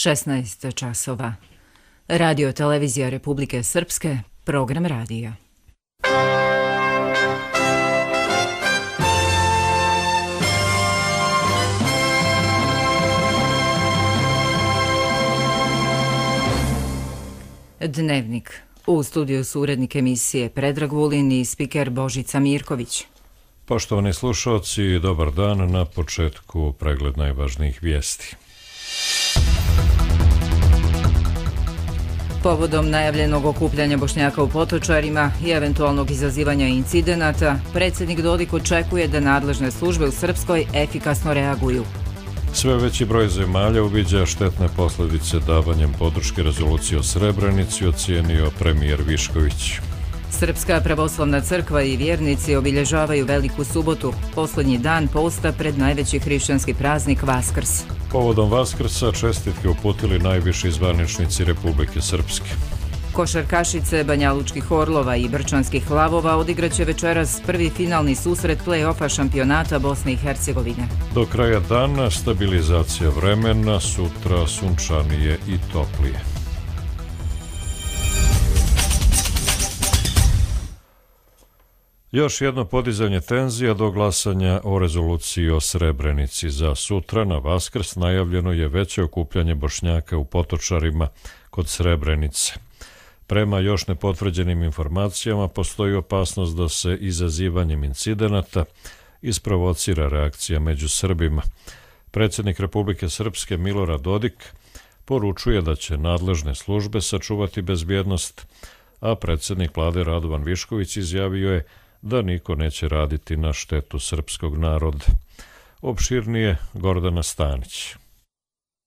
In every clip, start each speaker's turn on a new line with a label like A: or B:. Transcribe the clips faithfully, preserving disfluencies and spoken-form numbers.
A: šesnaest časova. Radio televizija Republike Srpske, program radija. Dnevnik. U studiju su urednik emisije Predrag Vulin i spiker Božica Mirković.
B: Poštovani slušalci, dobar dan. Na početku pregled najvažnijih vijesti.
A: Povodom najavljenog okupljanja Bošnjaka u Potočarima i eventualnog izazivanja incidenata, predsjednik Dodik očekuje da nadležne službe u Srpskoj efikasno reaguju.
B: Sve veći broj zemalja uviđa štetne posljedice davanjem podrške rezoluciji o Srebrenici, ocijenio premijer Višković.
A: Srpska pravoslavna crkva i vjernici obilježavaju Veliku subotu, posljednji dan posta pred najveći hrišćanski praznik Vaskrs.
B: Povodom Vaskrsa čestitke uputili najviši zvaničnici Republike Srpske.
A: Košarkašice Banjalučkih Orlova i Brčanskih Lavova odigraće večeras prvi finalni susret play-offa šampionata Bosne i Hercegovine.
B: Do kraja dana stabilizacija vremena, sutra sunčanije i toplije. Još jedno podizanje tenzija do glasanja o rezoluciji o Srebrenici. Za sutra na Vaskrs najavljeno je veće okupljanje Bošnjaka u Potočarima kod Srebrenice. Prema još nepotvrđenim informacijama postoji opasnost da se izazivanjem incidenata isprovocira reakcija među Srbima. Predsjednik Republike Srpske Milorad Dodik poručuje da će nadležne službe sačuvati bezbjednost, a predsjednik vlade Radovan Višković izjavio je da niko neće raditi na štetu srpskog naroda. Opširnije Gordana Stanić.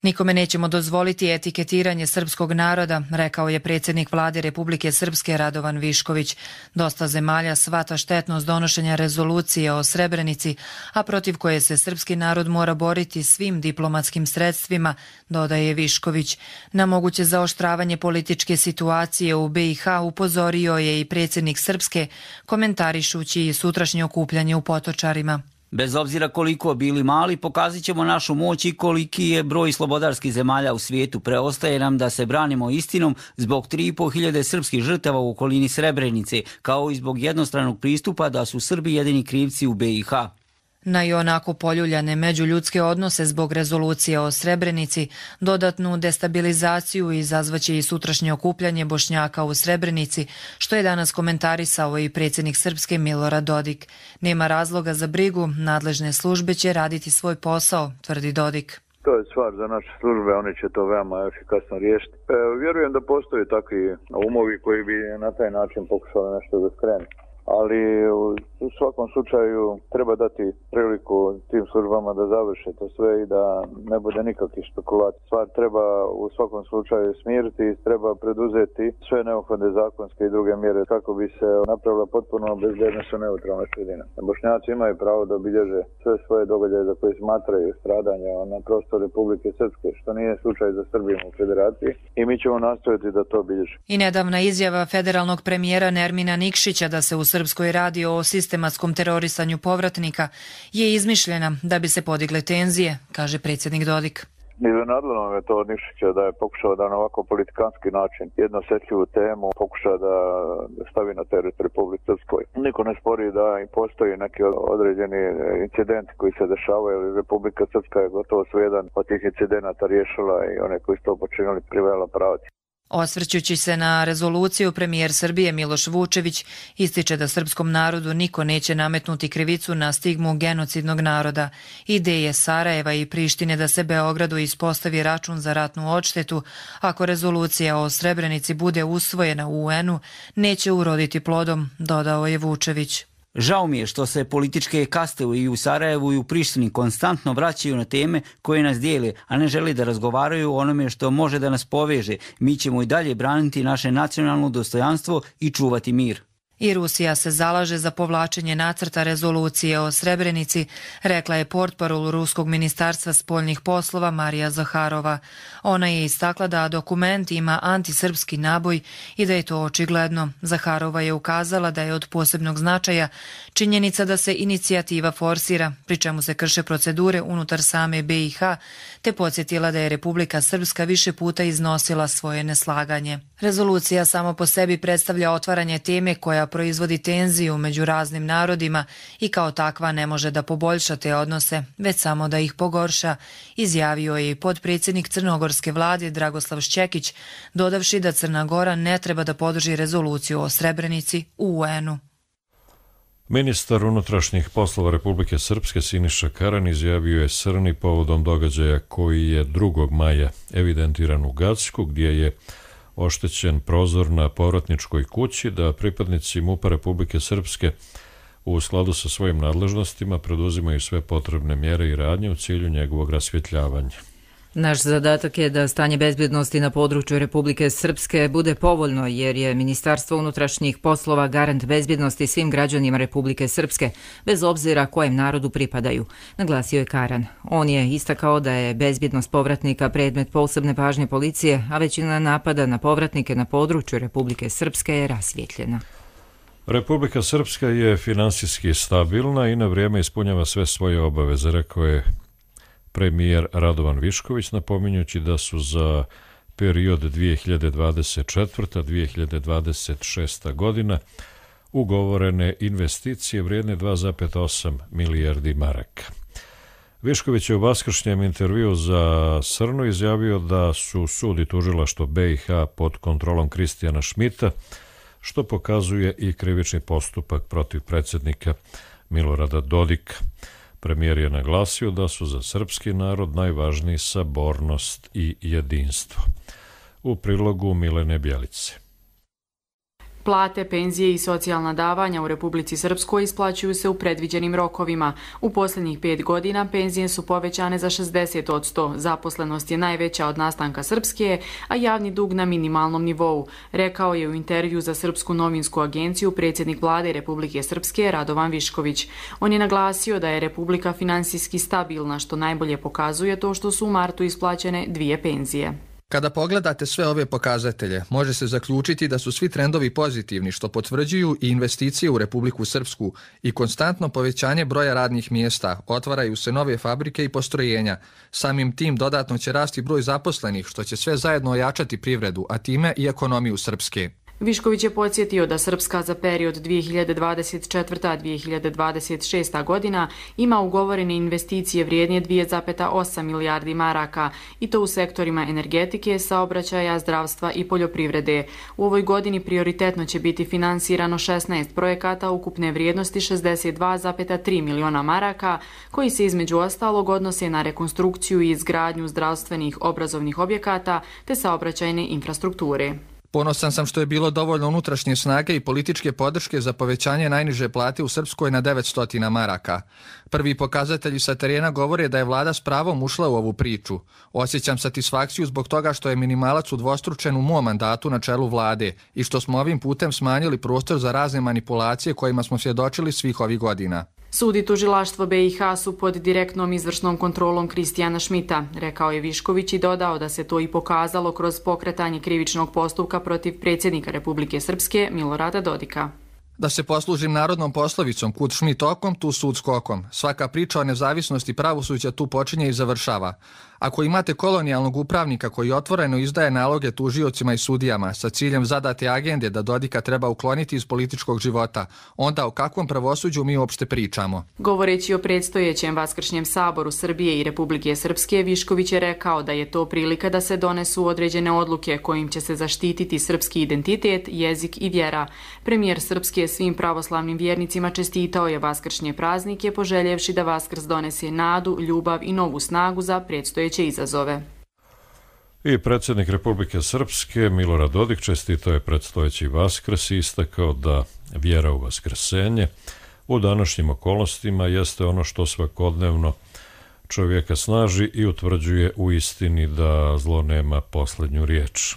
C: Nikome nećemo dozvoliti etiketiranje srpskog naroda, rekao je predsjednik vlade Republike Srpske Radovan Višković. Dosta zemalja shvata štetnost donošenja rezolucije o Srebrenici, a protiv koje se srpski narod mora boriti svim diplomatskim sredstvima, dodaje Višković. Na moguće zaoštravanje političke situacije u B i H upozorio je i predsjednik Srpske, komentarišući sutrašnje okupljanje u Potočarima.
D: Bez obzira koliko bili mali, pokazat ćemo našu moć i koliki je broj slobodarskih zemalja u svijetu. Preostaje nam da se branimo istinom zbog tri i pol hiljade srpskih žrtava u okolini Srebrenice, kao i zbog jednostranog pristupa da su Srbi jedini krivci u B i H.
C: Na i onako poljuljane međuljudske odnose zbog rezolucije o Srebrenici, dodatnu destabilizaciju izazvaće i sutrašnje okupljanje Bošnjaka u Srebrenici, što je danas komentarisao i predsjednik Srpske Milorad Dodik. Nema razloga za brigu, nadležne službe će raditi svoj posao, tvrdi Dodik.
E: To je stvar za naše službe, oni će to veoma efikasno riješiti. E, vjerujem da postoje takvi umovi koji bi na taj način pokušali nešto da skrenu. Ali u svakom slučaju treba dati priliku tim službama da završe to sve i da ne bude nikakvih špekulacija. Stvar treba u svakom slučaju smiriti i treba preduzeti sve neophodne zakonske i druge mjere kako bi se napravila potpuno bezbjednosno neutralna sredina. Bošnjaci imaju pravo da obilježe sve svoje događaje za koje smatraju stradanja na prostoru Republike Srpske, što nije slučaj za Srbiju u federaciji, i mi ćemo nastojati da to obilježe.
C: I nedavna izjava federalnog premijera Nermina Nikšića da se u Srpskoj radi o sistematskom terorisanju povratnika je izmišljena da bi se podigle tenzije, kaže predsjednik Dodik.
E: Iznenadilo me to od Nikšića da je pokušao da na ovako politikanski način jednu osjetljivu temu pokuša da stavi na teret Republike Srpskoj. Niko ne spori da i postoji neki određeni incidenti koji se dešavaju, ali Republika Srpska je gotovo sve jedan od tih incidenata riješila i one koji su to počinili privela pravdi.
C: Osvrćući se na rezoluciju, premijer Srbije Miloš Vučević ističe da srpskom narodu niko neće nametnuti krivicu na stigmu genocidnog naroda. Ideje Sarajeva i Prištine da se Beogradu ispostavi račun za ratnu odštetu ako rezolucija o Srebrenici bude usvojena u U N-u neće uroditi plodom, dodao je Vučević.
D: Žao mi je što se političke kaste i u Sarajevu i u Prištini konstantno vraćaju na teme koje nas dijele, a ne žele da razgovaraju o onome što može da nas poveže. Mi ćemo i dalje braniti naše nacionalno dostojanstvo i čuvati mir.
C: I Rusija se zalaže za povlačenje nacrta rezolucije o Srebrenici, rekla je portparol Ruskog ministarstva spoljnih poslova Marija Zaharova. Ona je istakla da dokument ima antisrpski naboj i da je to očigledno. Zaharova je ukazala da je od posebnog značaja činjenica da se inicijativa forsira, pri čemu se krše procedure unutar same B i H, te podsjetila da je Republika Srpska više puta iznosila svoje neslaganje. Rezolucija samo po sebi predstavlja otvaranje teme koja proizvodi tenziju među raznim narodima i kao takva ne može da poboljša te odnose, već samo da ih pogorša, izjavio je i potpredsjednik crnogorske vlade Dragoslav Šćekić, dodavši da Crna Gora ne treba da podrži rezoluciju o Srebrenici u U N-u.
B: Ministar unutrašnjih poslova Republike Srpske Siniša Karan izjavio je srni povodom događaja koji je drugog maja evidentiran u Gacku, gdje je oštećen prozor na povratničkoj kući, da pripadnici MUP-a Republike Srpske u skladu sa svojim nadležnostima preduzimaju sve potrebne mjere i radnje u cilju njegovog rasvjetljavanja.
A: Naš zadatak je da stanje bezbjednosti na području Republike Srpske bude povoljno, jer je Ministarstvo unutrašnjih poslova garant bezbjednosti svim građanima Republike Srpske, bez obzira kojem narodu pripadaju, naglasio je Karan. On je istakao da je bezbjednost povratnika predmet posebne pažnje policije, a većina napada na povratnike na području Republike Srpske je rasvjetljena.
B: Republika Srpska je finansijski stabilna i na vrijeme ispunjava sve svoje obaveze, rekao je premijer Radovan Višković, napominjući da su za period dvije hiljade dvadeset četvrta do dvije hiljade dvadeset šesta godina ugovorene investicije vrijedne dva zarez osam milijardi maraka. Višković je u vaskršnjem intervju za Srnu izjavio da su sud i tužilaštvo B i H pod kontrolom Kristijana Šmita, što pokazuje i krivični postupak protiv predsjednika Milorada Dodika. Premijer je naglasio da su za srpski narod najvažniji sabornost i jedinstvo. U prilogu Milene Bjelice.
F: Plate, penzije i socijalna davanja u Republici Srpskoj isplaćuju se u predviđenim rokovima. U posljednjih pet godina penzije su povećane za šezdeset posto, zaposlenost je najveća od nastanka Srpske, a javni dug na minimalnom nivou, rekao je u intervju za Srpsku novinsku agenciju predsjednik vlade Republike Srpske Radovan Višković. On je naglasio da je Republika finansijski stabilna, što najbolje pokazuje to što su u martu isplaćene dvije penzije.
G: Kada pogledate sve ove pokazatelje, može se zaključiti da su svi trendovi pozitivni, što potvrđuju i investicije u Republiku Srpsku i konstantno povećanje broja radnih mjesta, otvaraju se nove fabrike i postrojenja. Samim tim dodatno će rasti broj zaposlenih, što će sve zajedno ojačati privredu, a time i ekonomiju Srpske.
F: Višković je podsjetio da Srpska za period dvije hiljade dvadeset četvrta do dvije hiljade dvadeset šesta godina ima ugovorene investicije vrijednje dvije zarez osam milijardi maraka i to u sektorima energetike, saobraćaja, zdravstva i poljoprivrede. U ovoj godini prioritetno će biti finansirano šesnaest projekata ukupne vrijednosti šezdeset dva zarez tri miliona maraka, koji se između ostalog odnose na rekonstrukciju i izgradnju zdravstvenih obrazovnih objekata te saobraćajne infrastrukture.
G: Ponosan sam što je bilo dovoljno unutrašnje snage i političke podrške za povećanje najniže plate u Srpskoj na devetsto maraka. Prvi pokazatelji sa terena govore da je vlada s pravom ušla u ovu priču. Osjećam satisfakciju zbog toga što je minimalac udvostručen u mom mandatu na čelu vlade i što smo ovim putem smanjili prostor za razne manipulacije kojima smo svjedočili svih ovih godina.
F: Sud i tužilaštvo B i H su pod direktnom izvršnom kontrolom Kristijana Šmita, rekao je Višković i dodao da se to i pokazalo kroz pokretanje krivičnog postupka protiv predsjednika Republike Srpske Milorada Dodika.
G: Da se poslužim narodnom poslovicom, kud Šmit okom, tu sud skokom. Svaka priča o nezavisnosti pravosuđa tu počinje i završava. Ako imate kolonijalnog upravnika koji otvoreno izdaje naloge tužiocima i sudijama sa ciljem zadate agende da Dodika treba ukloniti iz političkog života, onda o kakvom pravosuđu mi uopšte pričamo?
F: Govoreći o predstojećem Vaskršnjem saboru Srbije i Republike Srpske, Višković je rekao da je to prilika da se donesu određene odluke kojim će se zaštititi srpski identitet, jezik i vjera. Premijer Srpske svim pravoslavnim vjernicima čestitao je Vaskršnje praznike, poželjevši da Vaskrs donese nadu, ljubav i novu snagu za predstojeće izazove.
B: I predsjednik Republike Srpske Milorad Dodik čestitao je predstojeći Vaskrs i istakao da vjera u vaskrsenje u današnjim okolnostima jeste ono što svakodnevno čovjeka snaži i utvrđuje u istini da zlo nema posljednju riječ.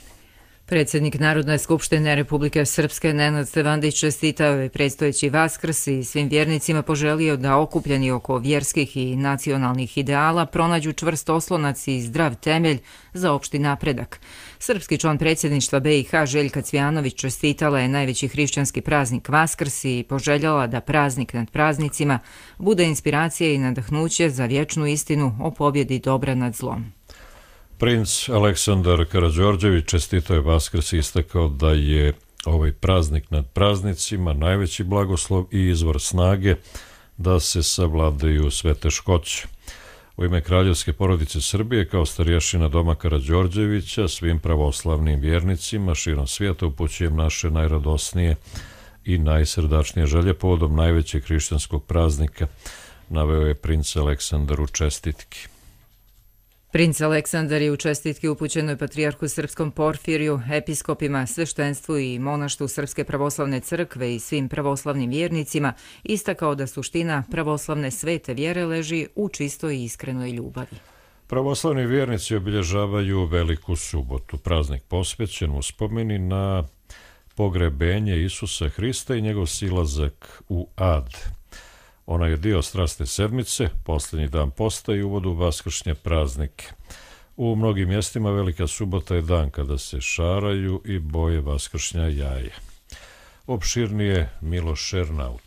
A: Predsjednik Narodne skupštine Republike Srpske Nenad Stevandić čestitao je predstojeći Vaskrs i svim vjernicima poželio da okupljeni oko vjerskih i nacionalnih ideala pronađu čvrst oslonac i zdrav temelj za opšti napredak. Srpski član predsjedništva B i H Željka Cvijanović čestitala je najveći hrišćanski praznik Vaskrs i poželjala da praznik nad praznicima bude inspiracija i nadahnuće za vječnu istinu o pobjedi dobra nad zlom.
B: Princ Aleksandar Karađorđević čestitao je Vaskrs i istakao da je ovaj praznik nad praznicima najveći blagoslov i izvor snage da se savladaju sve teškoće. U ime kraljevske porodice Srbije kao starješina doma Karađorđevića svim pravoslavnim vjernicima širom svijeta upućujem naše najradosnije i najsrdačnije želje povodom najvećeg hrišćanskog praznika, naveo je princ Aleksandar u čestitki.
A: Princ Aleksandar je u čestitki upućenoj patrijarhu srpskom Porfiriju, episkopima, sveštenstvu i monaštvu Srpske pravoslavne crkve i svim pravoslavnim vjernicima istakao da suština pravoslavne svete vjere leži u čistoj i iskrenoj ljubavi.
B: Pravoslavni vjernici obilježavaju Veliku subotu, praznik posvećen uspomeni na pogrebenje Isusa Hrista i njegov silazak u ad. Ona je dio strasne sedmice, posljednji dan posta i uvod u vaskršnje praznike. U mnogim mjestima Velika subota je dan kada se šaraju i boje vaskršnja jaja. Opširnije Miloš Šernaut.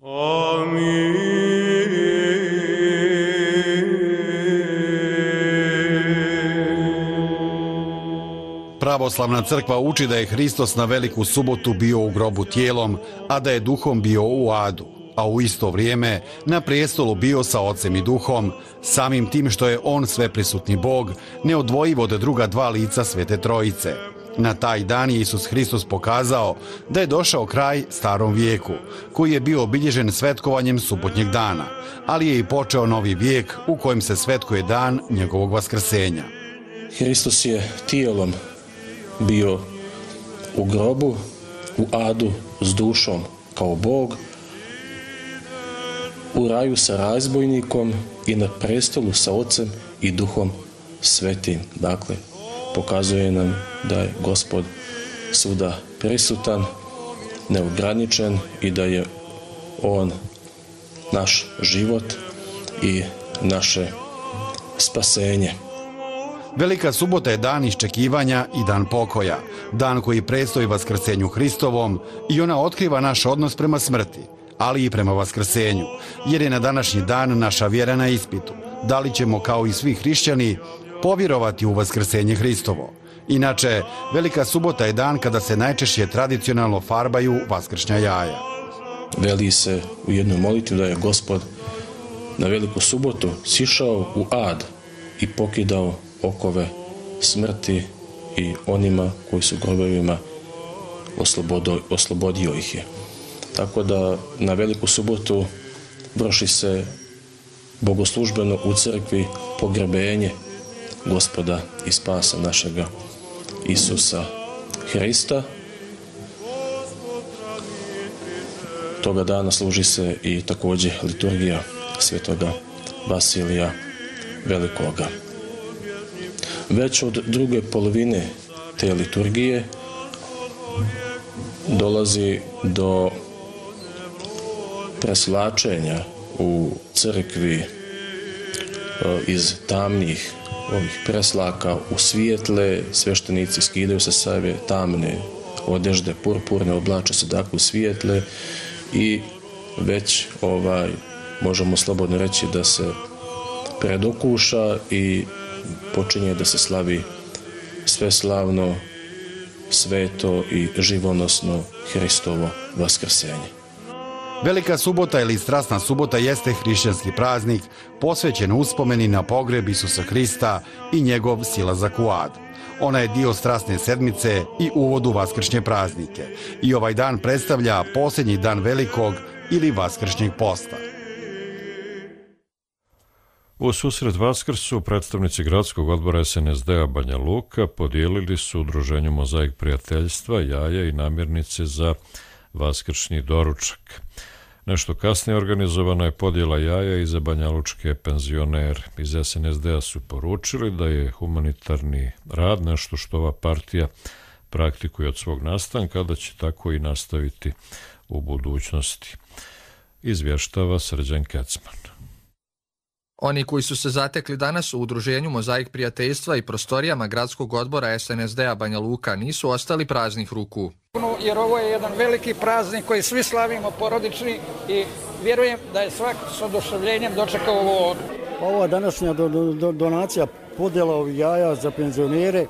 H: Amin. Pravoslavna crkva uči da je Hristos na Veliku subotu bio u grobu tijelom, a da je duhom bio u adu, a u isto vrijeme na prijestolu bio sa Ocem i Duhom, samim tim što je on sveprisutni Bog, neodvojiv od druga dva lica Svete Trojice. Na taj dan je Isus Hristos pokazao da je došao kraj starom vijeku, koji je bio obilježen svetkovanjem subotnjeg dana, ali je i počeo novi vijek u kojem se svetkuje dan njegovog vaskrsenja.
I: Hristos je tijelom bio u grobu, u adu s dušom kao Bog, u raju sa razbojnikom i na prestolu sa Ocem i Duhom Svetim. Dakle, pokazuje nam da je Gospod svuda prisutan, neograničen i da je On naš život i naše spasenje.
H: Velika subota je dan iščekivanja i dan pokoja, dan koji predstoji vaskrsenju Hristovom i ona otkriva naš odnos prema smrti, ali i prema vaskrsenju, jer je na današnji dan naša vjera na ispitu. Da li ćemo, kao i svi hrišćani, povjerovati u vaskrsenje Hristovo? Inače, Velika subota je dan kada se najčešće tradicionalno farbaju vaskršnja jaja.
I: Veli se u jednoj molitvi da je Gospod na Veliku subotu sišao u ad i pokidao okove smrti i onima koji su grobovima oslobodio, oslobodio ih je. Tako da na Veliku subotu vrši se bogoslužbeno u crkvi pogrebenje Gospoda i spasa našega Isusa Hrista. Toga dana služi se i također liturgija svetoga Vasilija Velikoga. Već od druge polovine te liturgije dolazi do preslačenja u crkvi iz tamnih ovih preslaka u svijetle. Sveštenici skidaju sa sebe tamne odežde purpurne, oblače se dakle u svijetle i već ovaj možemo slobodno reći da se predokuša i počinje da se slavi sveslavno, sveto i živonosno Hristovo vaskrsenje.
H: Velika subota ili strasna subota jeste hrišćanski praznik posvećen uspomeni na pogreb Isusa Hrista i njegov silazak u ad. Ona je dio strasne sedmice i uvod u vaskršnje praznike i ovaj dan predstavlja posljednji dan Velikog ili vaskršnjeg posta.
B: U susret Vaskrsu predstavnici gradskog odbora es en es de-a Banja Luka podijelili su udruženju Mozaik prijateljstva jaja i namirnice za vaskršnji doručak. Nešto kasnije organizovana je podjela jaja i za banjalučke penzionere. Iz es en es de a su poručili da je humanitarni rad nešto što ova partija praktikuje od svog nastanka, da će tako i nastaviti u budućnosti. Izvještava Srđan Kecman.
G: Oni koji su se zatekli danas u udruženju Mozaik prijateljstva i prostorijama gradskog odbora es en es de a Banja Luka nisu ostali praznih ruku.
J: Jer ovo je jedan veliki praznik koji svi slavimo porodični i vjerujem da je svak s oduševljenjem dočekao ovo.
K: Ova današnja do, do, donacija podjela ovih jaja za penzionere,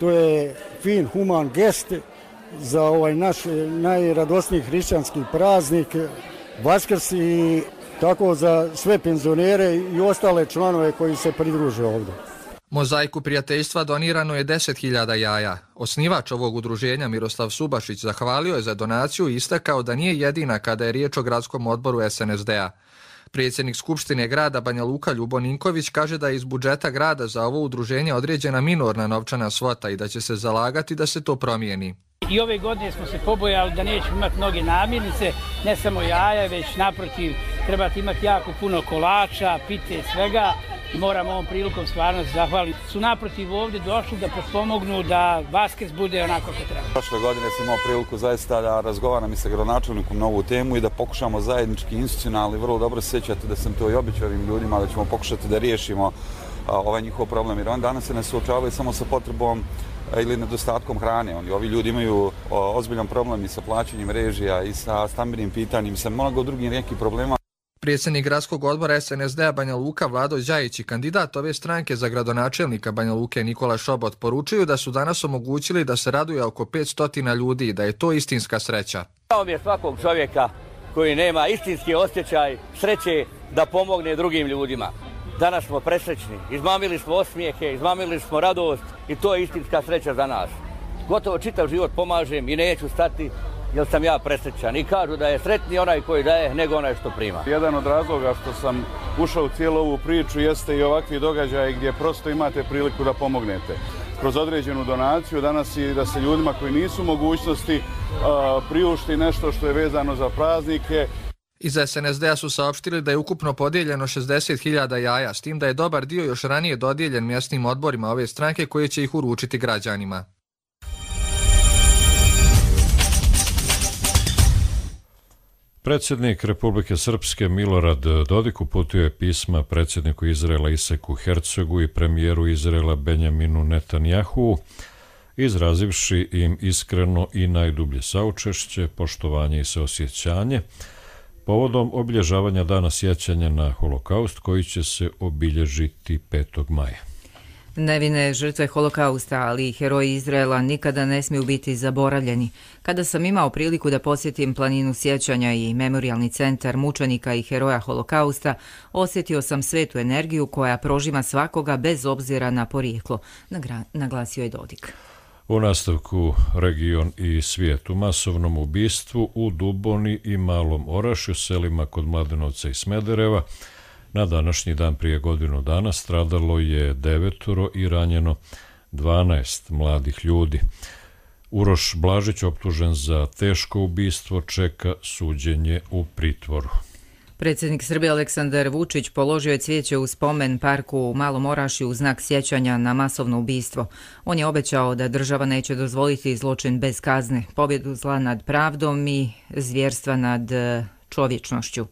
K: to je fin, human gest za ovaj naš najradosniji hrišćanski praznik, Vaskrs, i tako za sve penzionere i ostale članove koji se pridruže ovdje.
G: Mozaiku prijateljstva donirano je deset hiljada jaja. Osnivač ovog udruženja Miroslav Subašić zahvalio je za donaciju i istakao da nije jedina kada je riječ o gradskom odboru es en es de a. Predsjednik Skupštine grada Banja Luka Ljubo Ninković kaže da je iz budžeta grada za ovo udruženje određena minorna novčana svota i da će se zalagati da se to promijeni.
L: I ove godine smo se pobojali da nećemo imati mnoge namirnice, ne samo jaja, već naprotiv trebate imati jako puno kolača, pite, svega. I moramo ovom prilikom stvarno se zahvaliti. Su naprotiv ovdje došli da potpomognu da Vaskrs bude onako kako treba.
M: Prošle godine sam imao priliku zaista da razgovaram i sa gradonačelnikom na ovu temu i da pokušamo zajednički institucionalni, vrlo dobro se sjećate da sam to i obećao ovim ljudima, da ćemo pokušati da riješimo a, ovaj njihov problem. Jer on danas se ne suočavaju samo sa potrebom a, ili nedostatkom hrane. Oni, ovi ljudi imaju a, ozbiljan problem i sa plaćanjem režija i sa stambenim pitanjem, sa mnogo drugih nekih problema.
G: Predsjednik gradskog odbora es en es de a Banja Luka Vlado Đajić i kandidat ove stranke za gradonačelnika Banja Luke Nikola Šobot poručuju da su danas omogućili da se raduje oko petsto ljudi i da je to istinska sreća.
N: Žao mi je svakog čovjeka koji nema istinski osjećaj sreće da pomogne drugim ljudima. Danas smo presrećni, izmamili smo osmijehe, izmamili smo radost i to je istinska sreća za nas. Gotovo čitav život pomažem i neću stati jer sam ja presrećan i kažu da je sretniji onaj koji daje nego onaj što prima.
O: Jedan od razloga što sam ušao u cijelu ovu priču jeste i ovakvi događaji gdje prosto imate priliku da pomognete. Kroz određenu donaciju danas i da se ljudima koji nisu u mogućnosti uh, priušti nešto što je vezano za praznike.
G: Iz es en es de a su saopštili da je ukupno podijeljeno šezdeset hiljada jaja, s tim da je dobar dio još ranije dodijeljen mjesnim odborima ove stranke koje će ih uručiti građanima.
B: Predsjednik Republike Srpske Milorad Dodik uputio je pisma predsjedniku Izraela Isaku Hercogu i premijeru Izraela Benjaminu Netanjahu, izrazivši im iskreno i najdublje saučešće, poštovanje i saosjećanje povodom obilježavanja dana sjećanja na Holokaust koji će se obilježiti petog maja.
A: Nevine žrtve Holokausta, ali i heroji Izraela nikada ne smiju biti zaboravljeni. Kada sam imao priliku da posjetim planinu sjećanja i memorijalni centar mučenika i heroja Holokausta, osjetio sam svetu energiju koja prožima svakoga bez obzira na porijeklo, naglasio je Dodik.
B: U nastavku region i svijet u masovnom ubistvu u Duboni i Malom Orašju, selima kod Mladenovca i Smedereva, na današnji dan prije godinu dana stradalo je devetoro i ranjeno dvanaest mladih ljudi. Uroš Blažić, optužen za teško ubistvo, čeka suđenje u pritvoru.
A: Predsjednik Srbije Aleksandar Vučić položio je cvijeće u spomen parku u Malom Orašju u znak sjećanja na masovno ubistvo. On je obećao da država neće dozvoliti zločin bez kazne, pobjedu zla nad pravdom i zvjerstva nad čovječnošću.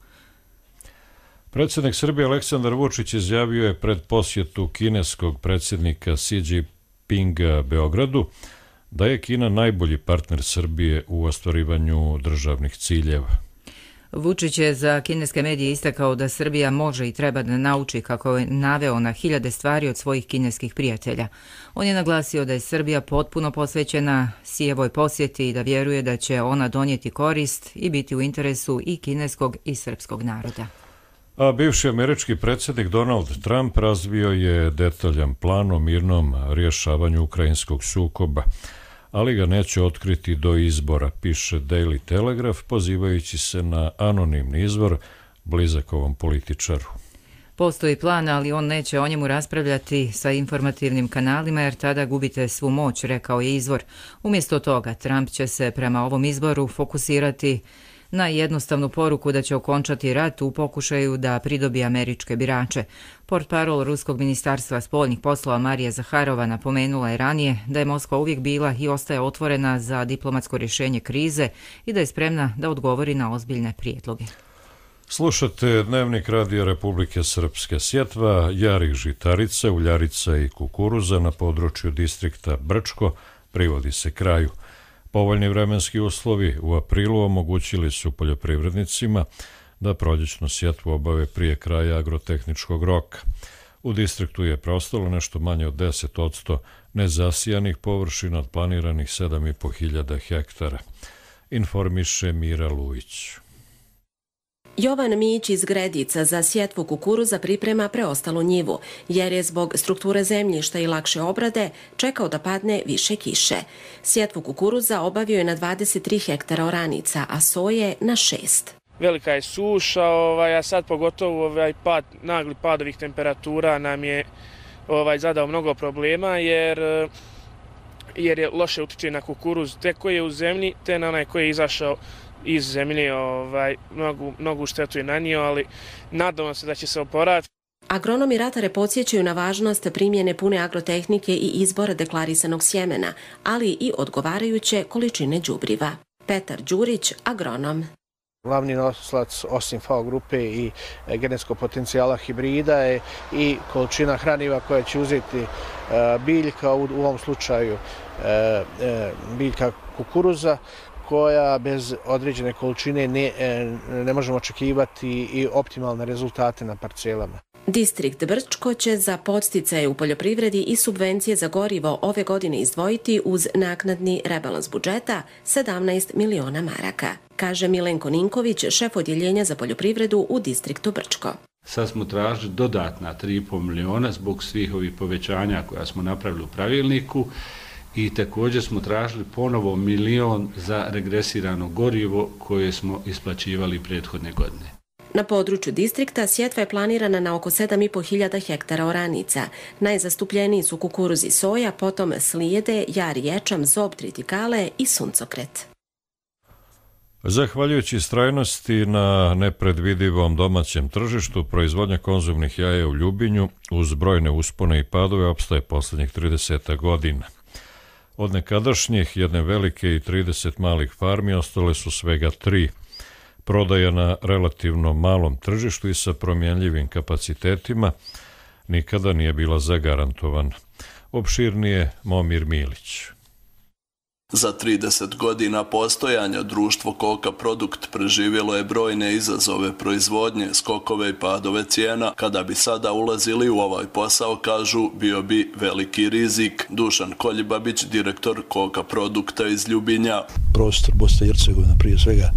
B: Predsjednik Srbije Aleksandar Vučić izjavio je pred posjetu kineskog predsjednika Xi Jinpinga Beogradu da je Kina najbolji partner Srbije u ostvarivanju državnih ciljeva.
A: Vučić je za kineske medije istakao da Srbija može i treba da nauči, kako je naveo, na hiljade stvari od svojih kineskih prijatelja. On je naglasio da je Srbija potpuno posvećena Xijevoj posjeti i da vjeruje da će ona donijeti korist i biti u interesu i kineskog i srpskog naroda.
B: A bivši američki predsjednik Donald Trump razvio je detaljan plan o mirnom rješavanju ukrajinskog sukoba, ali ga neće otkriti do izbora, piše Daily Telegraph, pozivajući se na anonimni izvor blizak ovom političaru.
A: Postoji plan, ali on neće o njemu raspravljati sa informativnim kanalima jer tada gubite svu moć, rekao je izvor. Umjesto toga, Trump će se prema ovom izboru fokusirati na jednostavnu poruku da će okončati rat u pokušaju da pridobije američke birače. Portparol Ruskog ministarstva spoljnih poslova Marija Zaharova napomenula je ranije da je Moskva uvijek bila i ostaje otvorena za diplomatsko rješenje krize i da je spremna da odgovori na ozbiljne prijedloge.
B: Slušate Dnevnik Radija Republike Srpske. Sjetva jarih žitarica, uljarica i kukuruza na području distrikta Brčko privodi se kraju. Povoljni vremenski uslovi u aprilu omogućili su poljoprivrednicima da proljećnu sjetvu obave prije kraja agrotehničkog roka. U distriktu je preostalo nešto manje od deset odsto nezasijanih površina od planiranih sedam i po hiljada hektara. Informiše Mira Lujić.
P: Jovan Mić iz Gredica za sjetvu kukuruza priprema preostalu njivu, jer je zbog strukture zemljišta i lakše obrade čekao da padne više kiše. Sjetvu kukuruza obavio je na dvadeset tri hektara oranica, a soje na šest.
Q: Velika je suša, ovaj, a sad pogotovo ovaj pad, nagli pad ovih temperatura nam je ovaj, zadao mnogo problema, jer, jer je loše utiče na kukuruz, te koji je u zemlji, te na onaj koji je izašao iz zemlje, ovaj, mnogu, mnogu štetu je nanio, ali nadamo se da će se oporaviti.
P: Agronomi ratare podsjećaju na važnost primjene pune agrotehnike i izbora deklarisanog sjemena, ali i odgovarajuće količine đubriva. Petar Đurić, agronom.
R: Glavni nosilac osim F A O grupe i genetskog potencijala hibrida je i količina hraniva koja će uzeti biljka, u ovom slučaju biljka kukuruza, koja bez određene količine ne, ne možemo očekivati i optimalne rezultate na parcelama.
P: Distrikt Brčko će za podsticaje u poljoprivredi i subvencije za gorivo ove godine izdvojiti uz naknadni rebalans budžeta sedamnaest miliona maraka, kaže Milenko Ninković, šef odjeljenja za poljoprivredu u distriktu Brčko.
S: Sad smo tražili dodatna tri i po miliona zbog svih ovih povećanja koja smo napravili u pravilniku. I također smo tražili ponovo milion za regresirano gorivo koje smo isplaćivali prethodne godine.
P: Na području distrikta sjetva je planirana na oko sedam i po hiljada hektara oranica. Najzastupljeniji su kukuruz i soja, potom slijede, jar i ječam, zob, tritikale i suncokret.
B: Zahvaljujući strajnosti na nepredvidivom domaćem tržištu, proizvodnja konzumnih jaja u Ljubinju uz brojne uspone i padove opstaje posljednjih trideset godina. Od nekadašnjih jedne velike i trideset malih farmi ostale su svega tri. Prodaja na relativno malom tržištu i sa promjenljivim kapacitetima nikada nije bila zagarantovana. Opširnije Momir Milić.
T: Za trideset godina postojanja društvo Koka Produkt preživjelo je brojne izazove proizvodnje, skokove i padove cijena. Kada bi sada ulazili u ovaj posao, kažu, bio bi veliki rizik. Dušan Koljibabić, direktor Koka Produkta iz Ljubinja.
U: Prostor Bosne i Hercegovine prije svega,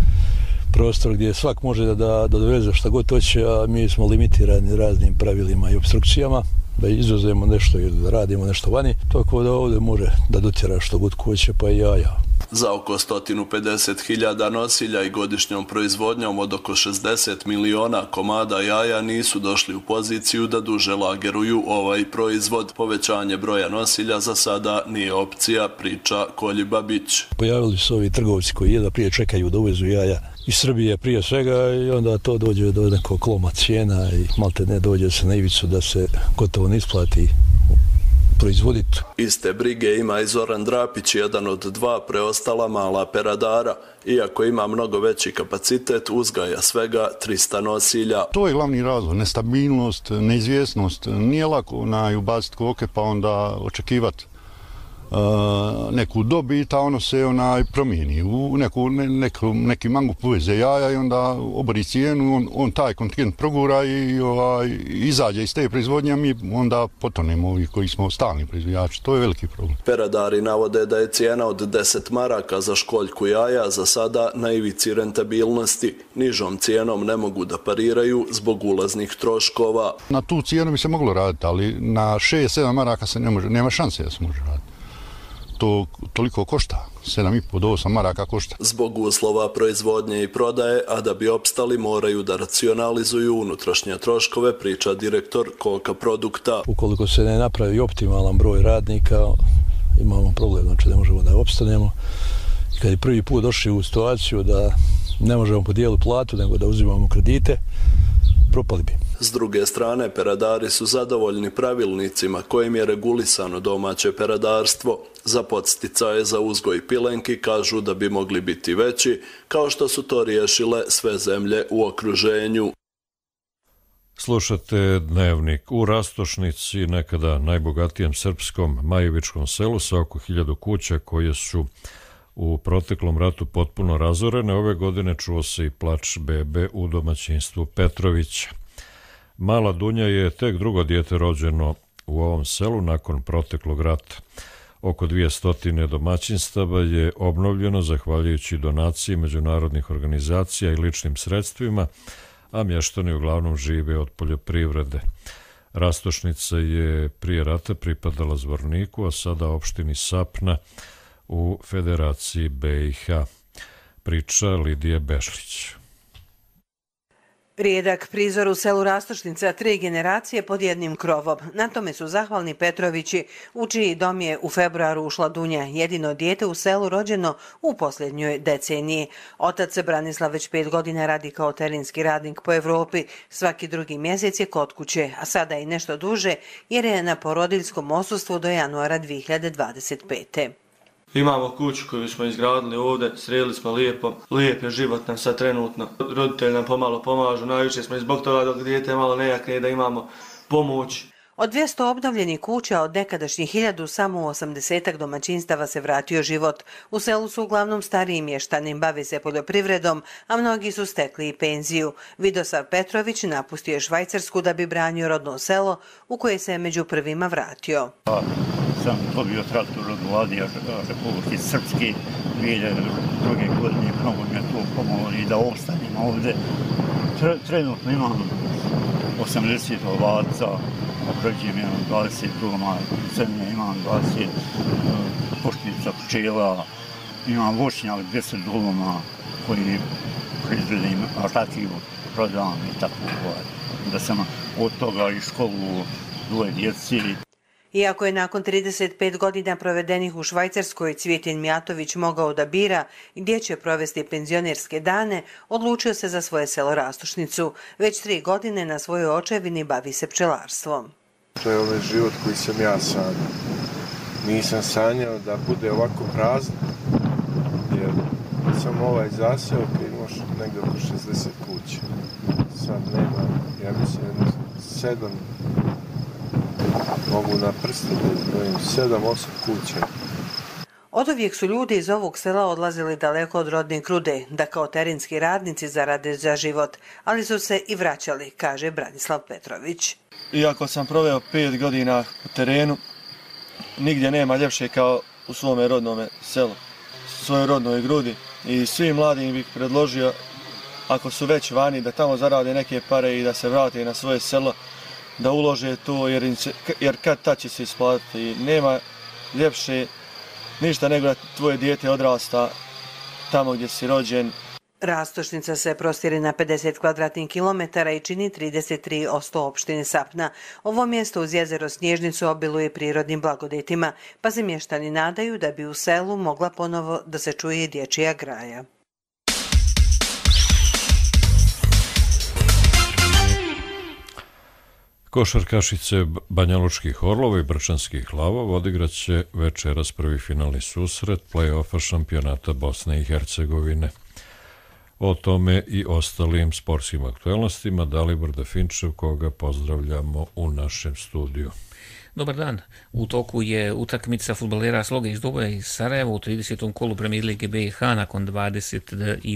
U: prostor gdje svak može da, da, da doveze šta god hoće, a mi smo limitirani raznim pravilima i obstrukcijama, da izuzemo nešto ili da radimo nešto vani, tako da ovdje može da dotjera što god hoće, pa i jaja.
T: Za oko sto pedeset hiljada nosilja i godišnjom proizvodnjom od oko šezdeset miliona komada jaja nisu došli u poziciju da duže lageruju ovaj proizvod. Povećanje broja nosilja za sada nije opcija, priča Koljibabić.
U: Pojavili su ovi trgovci koji jedva prije čekaju da uvezu jaja iz Srbije prije svega i onda to dođe do nekog kloma cijena i malte ne dođe se na ivicu da se gotovo ne isplati proizvoditi.
T: Iste brige ima i Zoran Drapić, jedan od dva preostala mala peradara. Iako ima mnogo veći kapacitet, uzgaja svega trista nosilja.
V: To je glavni razlog, nestabilnost, neizvjesnost. Nije lako na ubaciti koke pa onda očekivati Uh, neku dobit, a ono se onaj promijeni u neku, ne, neku, neki mango poveze jaja i onda obori cijenu, on, on taj kontingent progura i ovaj, izađe iz te proizvodnje, a mi onda potonemo ovi koji smo stalni proizvođači. To je veliki problem.
T: Peradari navode da je cijena od deset maraka za školjku jaja za sada na ivici rentabilnosti. Nižom cijenom ne mogu da pariraju zbog ulaznih troškova.
V: Na tu cijenu bi se moglo raditi, ali na šest sedam maraka se ne može, nema šanse da se može raditi. To toliko košta, sedam i po do osam maraka košta.
T: Zbog uslova proizvodnje i prodaje, a da bi opstali moraju da racionalizuju unutrašnje troškove, priča direktor Koka Produkta.
U: Ukoliko se ne napravi optimalan broj radnika, imamo problem, znači ne možemo da opstanemo. I kad je prvi put došli u situaciju da ne možemo podijeliti platu, nego da uzimamo kredite, propali bi.
T: S druge strane, peradari su zadovoljni pravilnicima kojim je regulisano domaće peradarstvo. Za podsticaje za uzgoj pilenki kažu da bi mogli biti veći, kao što su to riješile sve zemlje u okruženju.
B: Slušate Dnevnik. U Rastošnici, nekada najbogatijem srpskom Majevičkom selu sa oko hiljadu kuća koje su u proteklom ratu potpuno razorene, ove godine čuo se i plač bebe u domaćinstvu Petrovića. Mala Dunja je tek drugo dijete rođeno u ovom selu nakon proteklog rata. Oko dvjesto domaćinstava je obnovljeno zahvaljujući donaciji međunarodnih organizacija i ličnim sredstvima, a mještani uglavnom žive od poljoprivrede. Rastošnica je prije rata pripadala Zvorniku, a sada opštini Sapna u Federaciji be i ha. Priča Lidije Bešlić.
D: Rijedak prizor u selu Rastošnica, tri generacije pod jednim krovom. Na tome su zahvalni Petrovići, u čiji dom je u februaru ušla Dunja, jedino dijete u selu rođeno u posljednjoj deceniji. Otac Branislav već pet godina radi kao terenski radnik po Evropi, svaki drugi mjesec je kod kuće, a sada i nešto duže jer je na porodiljskom odsustvu do januara dvije hiljade dvadeset pete.
E: Imamo kuću koju smo izgradili ovdje, sredili smo lijepo, lijep je život nam sad trenutno. Roditelji nam pomalo pomažu, najviše smo i zbog toga dok dijete malo nejakne da imamo pomoć.
D: Od dvjesto obnovljenih kuća od nekadašnjih hiljadu samo u osamdesetak domaćinstava se vratio život. U selu su uglavnom stariji mještani, bave se poljoprivredom, a mnogi su stekli i penziju. Vidosav Petrović napustio je Švajcarsku da bi branio rodno selo u koje se je među prvima vratio.
W: Sam dobio traktor od vlade Republike Srpske dvije hiljade druge godine, mnogo mi je to pomoglo i da ostanem ovdje. Trenutno imam osamdeset ovaca, oprađujem imam dvadeset doma zemlje, imam dvadeset poštica pčela, imam voćnjak dvjesto doma koji proizvedim rakiju, prodam i tako. Da sam od toga i školu dvoje djeci.
D: Iako je nakon trideset pet godina provedenih u Švajcarskoj Cvjetin Mijatović mogao da bira gdje će provesti penzionerske dane, odlučio se za svoje selo Rastošnicu. Već tri godine na svojoj očevini bavi se pčelarstvom.
X: To je ovaj život koji sam ja sanjao. Nisam sanjao da bude ovako prazno, jer sam ovaj zaseo koji imaš negdje oko šezdeset kuća. Sad nema, ja mislim, sedam, mogu na prsti da izbrojim, sedam, osam kuća.
D: Oduvijek su ljudi iz ovog sela odlazili daleko od rodne Krude, da kao terenski radnici zarade za život, ali su se i vraćali, kaže Branislav Petrović.
E: Iako sam proveo pet godina u terenu, nigdje nema ljepše kao u svome rodnome selu, svojoj rodnoj Grudi. I svim mladim bih predložio, ako su već vani, da tamo zarade neke pare i da se vrate na svoje selo, da ulože to, jer, jer kad tad će se isplatiti. Nema ljepše ništa nego da tvoje dijete odrasta tamo gdje si rođen.
D: Rastošnica se prostire na pedeset kvadratnih kilometara i čini trideset tri posto opštine Sapna. Ovo mjesto uz jezero Snježnicu obiluje prirodnim blagodetima, pa se mještani nadaju da bi u selu mogla ponovo da se čuje dječja graja.
B: Košarkašice Banjalučkih Orlova i Brčanskih Lavova odigraće večeras prvi finalni susret play-offa šampionata Bosne i Hercegovine. O tome i ostalim sportskim aktualnostima Dalibor Definčev, koga pozdravljamo u našem studiju.
Y: Dobar dan. U toku je utakmica fudbalera Sloga iz Duboja iz Sarajeva u tridesetom kolu Premier lige be i ha. Nakon dvadeset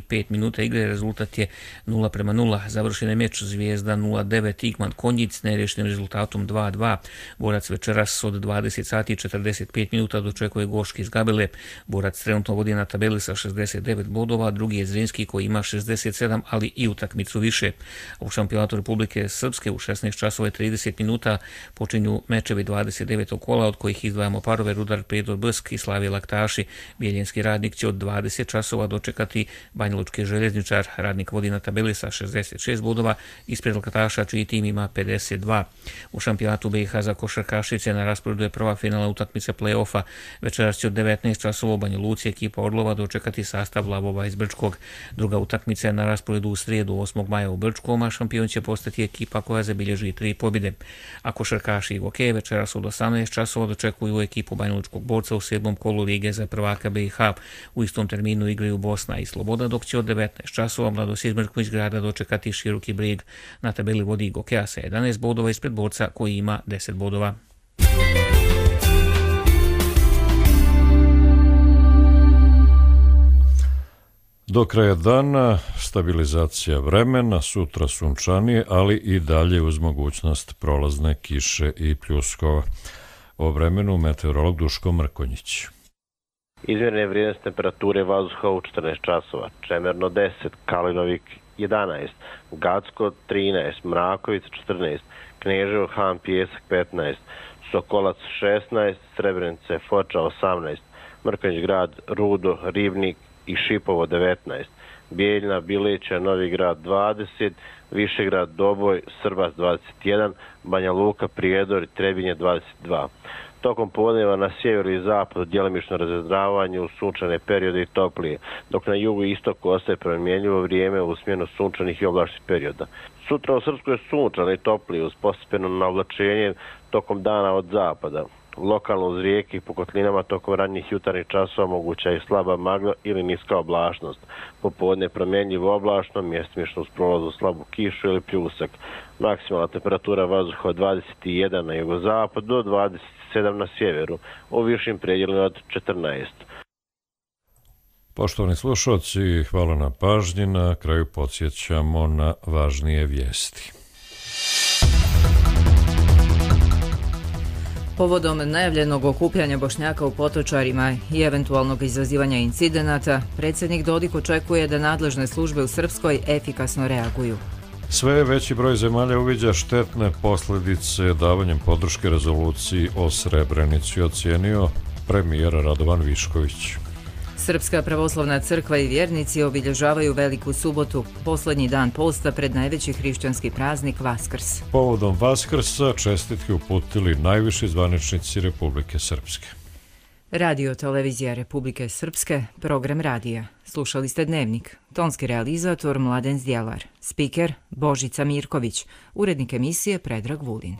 Y: pet minuta igre rezultat je nula prema nula. Završen je meč Zvijezda nula devet Igman Konjic nerješenim rezultatom dva dva. Borac večeras od dvadeset sati i četrdeset pet minuta dočekuje Goški iz Gabele. Borac trenutno vodi na tabeli sa šezdeset devet bodova, drugi je Zrinski koji ima šezdeset sedam, ali i utakmicu više. U šampionatu Republike Srpske u šesnaest časova i trideset minuta počinju mečevi dvadeset devetog kola, od kojih izdvajamo parove Rudar Prijedor Brsk i Slavija Laktaši. Bijeljenski Radnik će od dvadeset časova dočekati Banjalučki Željezničar. Radnik vodi na tabeli sa šezdeset šest bodova, ispred Laktaša čiji tim ima pedeset dva. U šampionatu B i H za košarkašice na rasporedu je prva finalna utakmica play-offa. Večeras će od devetnaest časova u Banja Luci ekipa Orlova dočekati sastav Lavova iz Brčkog. Druga utakmica je na rasporedu u srijedu osmog maja u Brčkom, a šampion će postati ekipa koja zabilježi tri pobjede. A košarkaši i hokej večeras od osamnaest časova dočekuju ekipu Banjalučkog Borca u sedmom kolu Lige za prvaka B i H. U istom terminu igraju Bosna i Sloboda, dok će od devetnaest časova Mladosijed Mrković Grada dočekati Široki Brijeg. Na tabeli vodi hokeja sa jedanaest bodova ispred Borca koji ima deset bodova.
B: Do kraja dana stabilizacija vremena, sutra sunčanije, ali i dalje uz mogućnost prolazne kiše i pljuskova. O vremenu meteorolog Duško Mrkonjić.
C: Izmjerene vrijednosti temperature vazduha u četrnaest časova, Čemerno deset, Kalinovik jedanaest, Gacko trinaest, Mrakovica četrnaest, Kneževo Han Pijesak petnaest, Sokolac šesnaest, Srebrenica Foča osamnaest, Mrkonjić Grad, Rudo, Ribnik i Šipovo devetnaest, Bijeljina, Bileća, Novi Grad dvadeset, Višegrad, Doboj, Srbas dvadeset jedan, Banja Luka, Prijedor i Trebinje dvadeset dva. Tokom podneva na sjeveru i zapadu djelomično razvedravanje u sunčane periode i toplije, dok na jugu i istoku ostaje promjenjivo vrijeme u smjenu sunčanih i oblačnih perioda. Sutra u Srpskoj je sunčano i toplije uz postepeno navlačenje tokom dana od zapada. Lokalno uz rijeke i po kotlinama tokom ranjih jutarnjih časova moguća je slaba magla ili niska oblačnost. Popodne promjenjivo oblačno, mjestimično uz prolazu slabu kišu ili pljusak. Maksimalna temperatura vazduha od dvadeset jedan na jugozapadu do dvadeset sedam na sjeveru, u višim predjelima od četrnaest.
B: Poštovani slušalci, hvala na pažnji. Na kraju podsjećamo na važnije vijesti.
A: Povodom najavljenog okupljanja Bošnjaka u Potočarima i eventualnog izazivanja incidenata, predsjednik Dodik očekuje da nadležne službe u Srpskoj efikasno reaguju.
B: Sve veći broj zemalja uviđa štetne posljedice davanjem podrške rezoluciji o Srebrenici, ocijenio premijer Radovan Višković.
A: Srpska pravoslavna crkva i vjernici obilježavaju Veliku subotu, posljednji dan posta pred najveći hrišćanski praznik Vaskrs.
B: Povodom Vaskrsa čestitke uputili najviši zvaničnici Republike Srpske.
A: Radio Televizija Republike Srpske, program radija. Slušali ste Dnevnik. Tonski realizator Mladen Zdjelar. Spiker Božica Mirković. Urednik emisije Predrag Vulin.